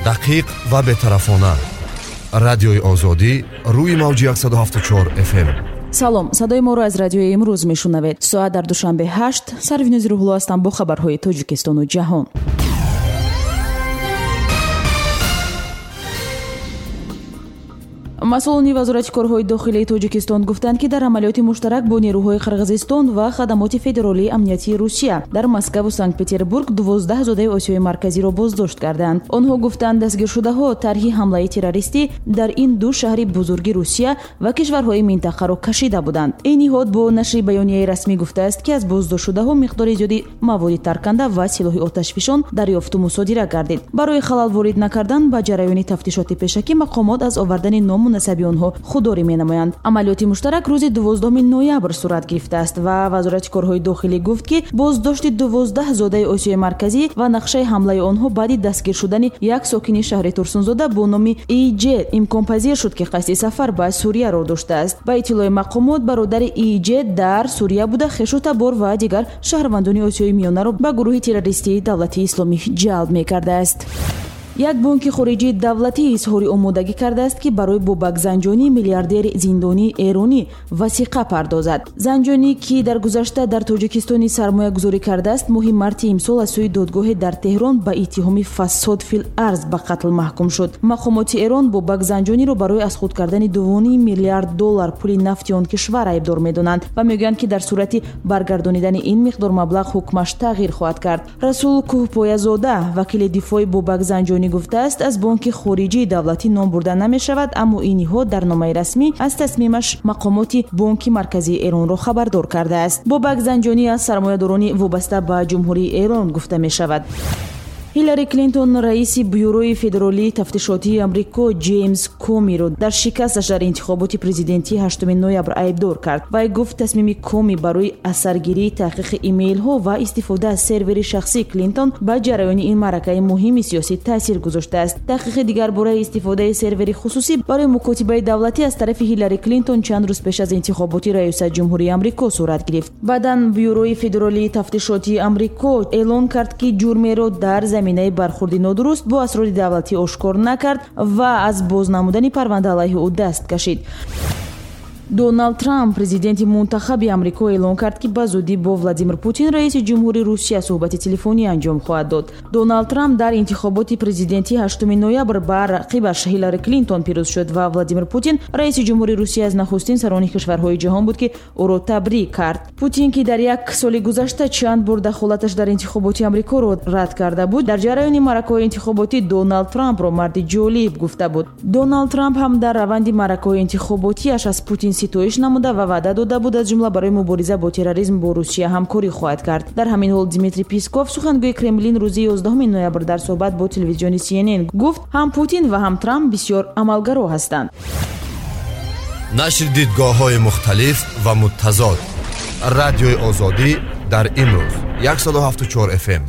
Дақиқ ва бетарафона. Радиои Озодӣ рӯи мавҷи 174 FM. Салом, садои моро аз радиои имрӯз мешунавед. Соат дар Душанбе 8, Сарвинози Рӯҳулло ҳастам бо хабарҳои Тоҷикистону ҷаҳон. Масъулони Вазорати корҳои дохилии Тоҷикистон гуфтанд, ки дар амалиёти муштарак бо нерӯҳои Қирғизистон ва хадамоти федералии амниятии Русия дар Москваву Санкт-Петербург 12 зодаи Осиёи Марказиро боздошт карданд. Онҳо гуфтанд, дастгиршудаҳо тарҳи ҳамлаи террористӣ дар ин ду шаҳри бузурги Русия ва кишварҳои минтақаро кашида буданд. Ин ниҳод бо нашри баёнияи расмӣ гуфтааст, ки аз боздоштшудаҳо миқдори зиёди маводи тарканда ва силоҳи оташфишон дарёфту мусодира гардид. Барои халал ворид накардан ба ҷараёни тафтишоти пешакӣ мақомот аз овардани ному насаби онҳо худдорӣ менамоянд. Амалиёти муштарак рӯзи 12 ноябр сурат гирифтааст ва Вазорати корҳои дохилӣ гуфт, ки боздошти 12 зодаи Осиёи Марказӣ ва нақшаи ҳамлаи онҳо баъди дастгир шудани як сокини шаҳри Турсунзода бо номи Иҷ имконпазир шуд, ки қасди сафар ба Сурияро доштааст. Ба иттилои мақомот, бародари Иҷ дар Сурия буда, хешу табор ва дигар шаҳрвандони Осиёи Миёнаро ба гурӯҳи террористии Давлати Исломӣ ҷалб мекардааст. Як бонки хориҷии давлатӣ изҳори омодагӣ кардааст, ки барои Бобак Занҷонӣ, миллиардери зиндонии эронӣ, васиқа пардозад. Занҷонӣ, ки дар гузашта дар Тоҷикистони сармоягузорӣ кардааст, моҳи марти имсол аз сӯи додгоҳе дар Теҳрон ба иттиҳоми фасод фил арз ба қатл маҳкум шуд. Мақомоти Эрон Бобак Занҷониро барои аз худ кардани 2,5 миллиард доллар пули нафти он кишвар айбдор медонанд ва мегӯянд, ки дар сурати баргардонидани ин миқдор маблағ ҳукмаш тағйир хоҳад кард. Расул Кӯҳпоязода, вакили дифои Бобак Занҷонӣ, гуфтааст, аз бонки хориҷии давлатӣ ном бурда намешавад, аммо ин ниҳод дар номаи расмӣ аз тасмимаш мақомоти Бонки Марказии Эронро хабардор кардааст. Бобак Занҷонӣ аз сармоядорони вобаста ба Ҷумҳурии Эрон гуфта мешавад. Ҳиллари Клинтон раиси Бюрои федералии тафтишотии Амрико Ҷеймс Комиро дар шикасташ дар интихоботи президентии 8 ноябр айбдор кард. Вай гуфт, тасмими Коми барои асаргирии таҳқиқи имейлҳо ва истифода аз сервери шахсии Клинтон ба ҷараёни ин маъракаи муҳими сиёсӣ таъсир гузоштааст. Таҳқиқи дигар бораи истифодаи сервери хусусӣ барои мукотибаи давлатӣ аз тарафи Ҳиллари Клинтон чанд рӯз пеш аз интихоботи раёсат ҷумҳурии Амрико сурат гирифт. Баъдан Бюрои федералии тафтишотии Амрико эълон кард, ки ҷурмеро дар заминаи бархурди нодуруст бо асрори давлатӣ ошкор накард ва аз боз намудани парванда алайҳи ӯ даст кашид. Доналд Трамп, президенти мунтахаби Амрико, эълон кард, ки ба зудӣ бо Владимир Путин, раиси ҷумҳури Русия, суҳбати телефонӣ анҷом хоҳад дод. Доналд Трамп дар интихоботи президентии 8 ноябр ба рақибаш Ҳиллари Клинтон пирӯз шуд ва Владимир Путин, раиси ҷумҳури Русия, аз нахустин сарони кишварҳои ҷаҳон буд, ки ӯро табрик кард. Путин, ки дар як соли гузашта чанд бор дахолаташ дар интихоботи Амрикоро рад карда буд, дар ҷараёни маъракаҳои интихоботӣ Доналд Трампро марди ҷолиб гуфта буд. Доналд Трамп ҳам дар раванди маъракаҳои интихоботиаш аз Путин ситоиш намуда ва ваъда дода буд, аз ҷумла барои мубориза бо терроризм бо Русия ҳамкорӣ хоҳад кард. Дар ҳамин ҳол Дмитрий Песков, сухангӯи Кремлин, рӯзи 11 ноябр дар суҳбат бо телевизиони CNN гуфт, ҳам Путин ва ҳам Трамп бисёр амалгаро ҳастанд. Нашри дидгоҳҳои мухталиф ва муттазод. Радиои Озодӣ дар имрӯз 174 FM.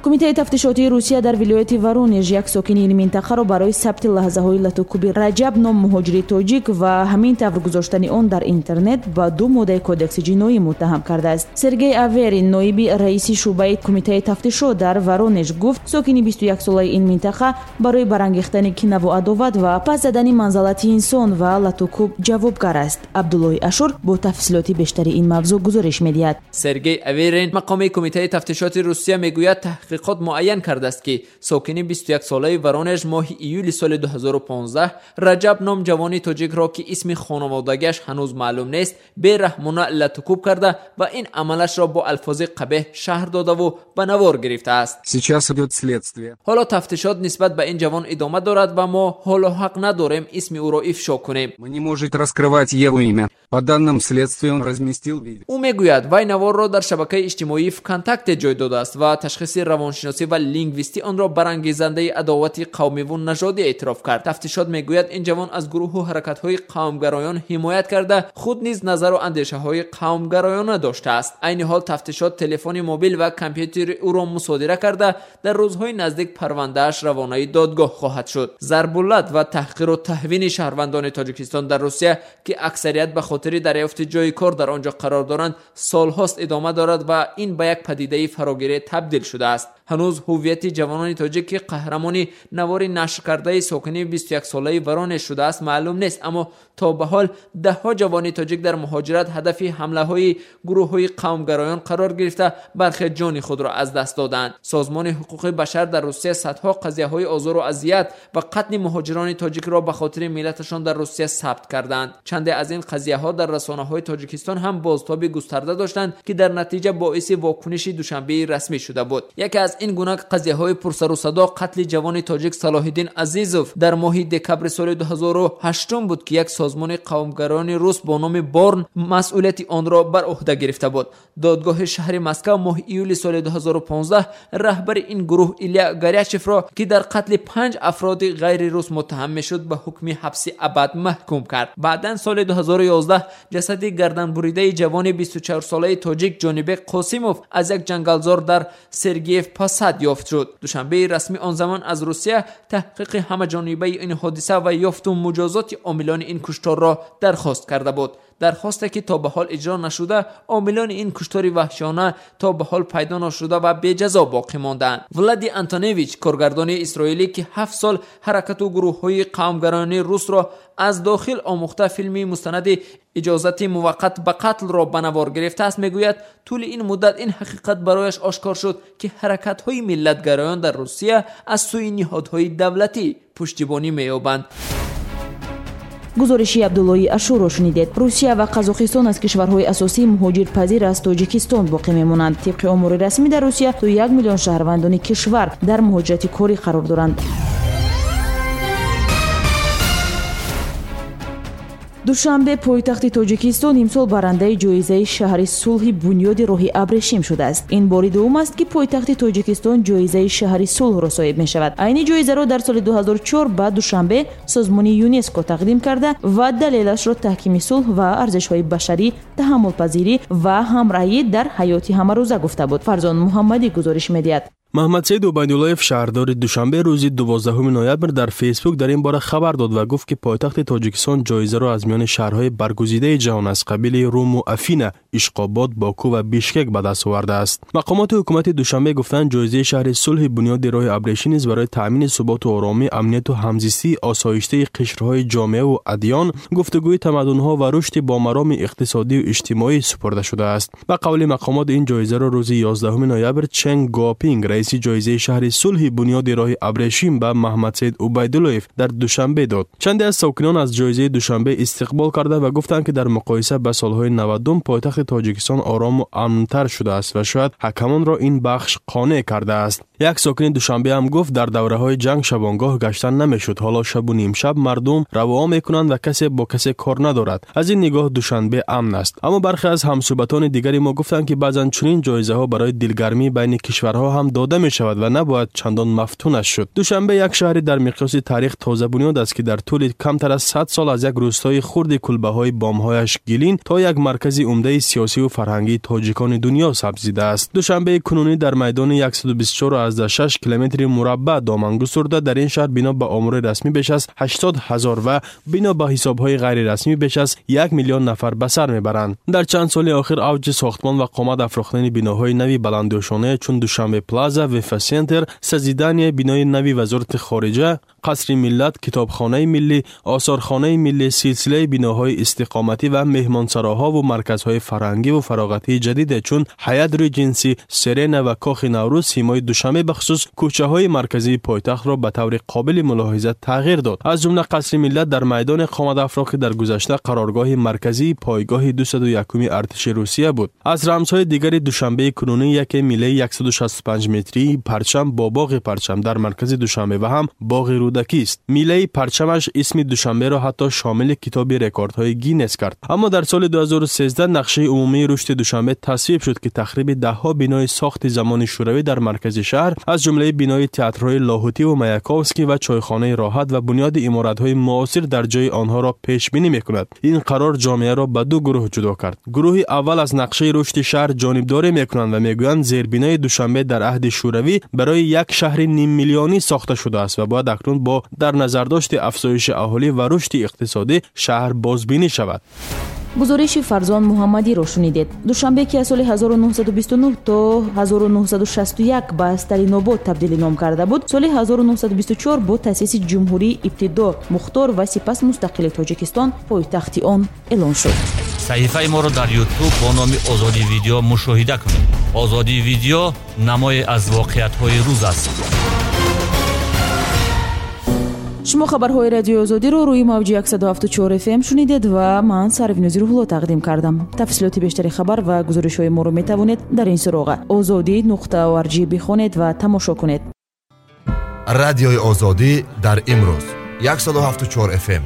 Кумитаи тафтишотии Русия дар вилояти Воронеж як сокини ин минтақаро барои сабти лаҳзаҳои латукуби Раҷаб ном муҳоҷири тоҷик ва ҳамин тавр гузоштани он дар интернет ба ду моддаи кодекси ҷиноӣ муттаҳам кардааст. Сергей Аверин, ноиби раиси шӯъбаи кумитаи тафтишот дар Воронеж, гуфт, сокини 21-солаи ин минтақа барои барангехтани кинаву адоват ва пас задани манзалати инсон ва латукуб ҷавобгар аст. Абдуллоҳи Ашур бо тафсилоти бештари ин мавзӯъ гузориш медиҳад. Сергей Аверин, мақоми кумитаи тафтишоти Русия, мегӯяд, таҳқиқот муайян кардааст, ки сокини 21-солаи Воронеж моҳи июли соли 2015 Раҷаб ном ҷавони тоҷикро, ки исми хонаводагиаш ҳанӯз маълум нест, бераҳмона латукуб карда ва ин амалашро бо алфози қабеҳ шаҳр додаву ба навор гирифтааст. Сейчас идёт следствие. Ҳоло тафтишот нисбат ба ин ҷавон идома дорад ва мо ҳоло ҳақ надорем исми ӯро ифшо кунем. Мы не может раскрывать его имя. По данным следствия, он разместил видео. Ӯ мегӯяд, вай наворро дар шабакаи иҷтимоии ВКонтакте ҷой додааст ва ташхиси равоншиносӣ ва лингвистӣ онро барангезандаи адовати қавмиву нажодӣ эътироф кард. Тафтишот мегӯяд, ин ҷавон аз гурӯҳу ҳаракатҳои қавмгароён ҳимоят карда, худ низ назару андешаҳои қавмгароёна доштааст. Айни ҳол тафтишот телефони мобил ва компютери ӯро мусодира карда, дар рӯзҳои наздик парвандааш равонаи додгоҳ хоҳад шуд. Зарбулат ва таҳқиру таҳвини шаҳрвандони Тоҷикистон дар Русия, ки аксарият ба хотири дарёфти ҷои кор дар он ҷо қарор доранд, солҳост идома дорад ва ин ба як падидаи фарогире табдил шудааст. Ҳанӯз ҳуввияти ҷавонони тоҷик, ки қаҳрамони навори нашркардаи сокини 21-солаи Воронеж шудааст, маълум нест, аммо то ба ҳол даҳҳо ҷавони тоҷик дар муҳоҷират ҳадафи ҳамлаҳои гурӯҳҳои қавмгароён қарор гирифта, бархе ҷони худро аз даст доданд. Созмони ҳуқуқи башар дар Русия садҳо қазияҳои озору азият ва қатли муҳоҷирони тоҷикро ба хотири миллаташон дар Русия сабт карданд. Чанде аз ин қазияҳо дар расонаҳои Тоҷикистон ҳам бозтоби густарда доштанд, ки дар натиҷа боиси вокуниши Душанбеи расмӣ шуда буд. Яке аз ин гуна қазияҳои пурсару садо қатли ҷавони тоҷик Салоҳиддин Азизов дар моҳи декабри соли 2008 буд, ки як созмони қавмгарони рус бо номи Борн масъулияти онро бар уҳда гирифта буд. Додгоҳи шаҳри Москва моҳи июли соли 2015 раҳбари ин гурӯҳ Иля Горячевро, ки дар қатли 5 афроди ғайрирус муттаҳам мешуд, ба ҳукми ҳабси абад маҳкум кард. Баъдан соли 2011 ҷасади гарданбуридаи ҷавони 24-солаи тоҷик Ҷонибек Қосимов аз як ҷангалзор дар Сергиев Посад ёфт шуд. Душанбеи расмӣ он замон аз Русия таҳқиқи ҳамаҷонибаи ин ҳодиса ва ёфту муҷозоти омилони ин кушторро дархост карда буд. Дархосте ки то ба ҳол иҷро нашуда, омилони ин куштори ваҳшиёна то ба ҳол пайдо нашуда ва беҷазо боқӣ мондаанд. Влади Антоневич, коргардони исроилӣ, ки 7 сол ҳаракату гурӯҳҳои қавмгарони русро аз дохил омӯхта, филми мустанади иҷозати муваққат ба қатлро ба навор гирифтааст, мегӯяд тӯли ин муддат ин ҳақиқат барояш ошкор шуд, ки ҳаракатҳои миллатгароён дар Русия аз сӯи ниҳодҳои давлатӣ пуштибонӣ меёбанд. Гузориши Абдуллои Ашурро шунидед. Русия ва Қазоқистон аз кишварҳои асосии муҳоҷирпазир аз Тоҷикистон боқӣ мемонанд. Тибқи омори расмӣ дар Русия то 1 миллион шаҳрвандони кишвар дар муҳоҷирати корӣ қарор доранд. Душанбе, пойтахти Тоҷикистон, имсол барандаи ҷоизаи шаҳри сулҳи бунёди роҳи абрешим шудааст. Ин бори дуввум аст, ки пойтахти Тоҷикистон ҷоизаи шаҳри сулҳро соҳиб мешавад. Айни ҷоизаро дар соли 2004 ба Душанбе созмони ЮНЕСКО тақдим карда ва далелашро таҳкими сулҳ ва арзишҳои башарӣ, таҳаммулпазирӣ ва ҳамраҳӣ дар ҳаёти ҳамарӯза гуфта буд. Фарзон Муҳаммадӣ гузориш медиҳад. Маҳмадсаид Убайдуллоев, шаҳрдори Душанбе, рӯзи 12 ноябр дар Фейсбук дар ин бора хабар дод ва гуфт, ки пойтахти Тоҷикистон ҷоизаро аз миёни шаҳрҳои баргузидаи ҷаҳон аз қабили Руму Афина, Ишқобод, Боку ва Бишкек ба даст овардааст. Мақомоти ҳукумати Душанбе гуфтанд, ҷоизаи шаҳри сулҳи бунёди роҳи абрешим низ барои таъмини суботу оромӣ, амнияту ҳамзистии осоиштаи қишрҳои ҷомеаву адён, гуфтугӯи тамаддунҳо ва рушди бомароми иқтисодию иҷтимоӣ супурда шудааст. Ба қавли мақомот, ин ҷоизаро рӯзи 11 ноябр Чен Гопинг, раиси ҷоизаи шаҳри сулҳи бунёди роҳи абрешим, ба Маҳмадсаид Убайдуллоев дар Душанбе дод. Чанде аз сокинон аз ҷоизаи Душанбе истиқбол карда ва гуфтанд, ки дар муқоиса ба солҳои 90 пойтахти Тоҷикистон орому амнтар шудааст ва шояд ҳакамонро ин бахш қонеъ кардааст. Як сокини Душанбе ҳам гуфт, дар давраҳои ҷанг шабонгоҳ гаштан намешуд. Ҳоло шабу нимшаб мардум равоа мекунанд ва касе бо касе кор надорад. Аз ин нигоҳ Душанбе амн аст. Аммо бархе аз ҳамсӯҳбатони дигари мо гуфтанд, ки баъзан чунин ҷоизаҳо барои дилгармӣ байни кишварҳо ҳам дода мешавад ва набояд чандон мафтунаш шуд. Душанбе як шаҳри дар миқёси таърих тозабунёд аст, ки дар тӯли камтар аз 100 сол аз як рӯстои хурди кулбаҳои бомҳояш гилин то як маркази умдаи сиёсиву фарҳангии тоҷикони дунё сабзидааст. Душанбеи кунунӣ дар майдони 124,6 километри мураббаъ доман густурда, дар ин шаҳр бино ба омори расмӣ беш аз 80 ҳазор ва бино ба ҳисобҳои ғайрирасмӣ беш аз 1 миллион нафар ба сар мебаранд. Дар чанд соли охир авҷи сохтмон ва қомат афрохтани биноҳои нави баландошонае чун Душанбе Плаза, Вефа Сентер, созидание бинои нави Вазорати хориҷа, Қасри миллат, Китобхонаи миллӣ, Осорхонаи миллӣ, силсилаи биноҳои истиқоматӣ ва меҳмонсароҳову марказҳои фарҳангиву фароғатии ҷадиде чун Ҳаят Реҷенси, Серена ва Кохи Наврӯз симои Душанбе, бахусус кӯчаҳои марказии пойтахтро ба таври қобили мулоҳиза тағйир дод. Аз ҷумла Қасри миллат дар майдони қомадафроқ, ки дар гузашта қароргоҳи марказии пойгоҳи 201-уми артиши Русия буд. Аз рамзҳои дигари Душанбеи кунунӣ яке миллаи 165 метрии парчам бо боғи парчам дар маркази Душанбе ва ҳам боғи Рӯдакист. Миллаи парчамаш исми Душанберо ҳатто шомили китоби рекордҳои Гиннес кард. Аммо дар соли 2013 нақшаи умумии рушди Душанбе тасвиб шуд, ки тахриби даҳҳо бинои сохти замони шӯравӣ дар маркази шаҳр, аз ҷумлаи бинои театрҳои Лоҳутиву Маяковский ва чойхонаи Роҳат ва бунёди иморатҳои муосир дар ҷои онҳоро пешбинӣ мекунад. Ин қарор ҷомеаро ба ду гурӯҳ ҷудо кард. Гурӯҳи аввал аз нақшаи рушди шаҳр ҷонибдорӣ мекунанд ва мегӯянд, зербинои Душанбе дар аҳди шӯравӣ барои як шаҳри ниммиллионӣ сохта шудааст ва бояд акнун бо дар назардошти афзоиши аҳолӣ ва рушди иқтисодӣ шаҳр бозбинӣ шавад. Гузориши Фарзон Муҳаммадиро шунидед. Душанбе, ки аз соли 1929 то 1961 ба Сталинобод табдили ном карда буд, соли 1924 бо таъсиси ҷумҳурии ибтидо мухтор ва сипас мустақили Тоҷикистон пойтахти он эълон шуд. Саҳифаи моро дар Ютуб бо номи Озодӣ Видео мушоҳида кунед. Озодӣ Видео намое аз воқеиятҳои рӯз аст. Шумо хабарҳои Радиои Озодиро рӯи мавҷи 174 FM шунидед ва ман Сарвинози Рӯҳулло тақдим кардам. Тафсилоти бештари хабар ва гузоришҳои моро метавонед дар ин суроға озодӣ.org бихонед ва тамошо кунед. Радиои Озодӣ дар имрӯз 174 FM.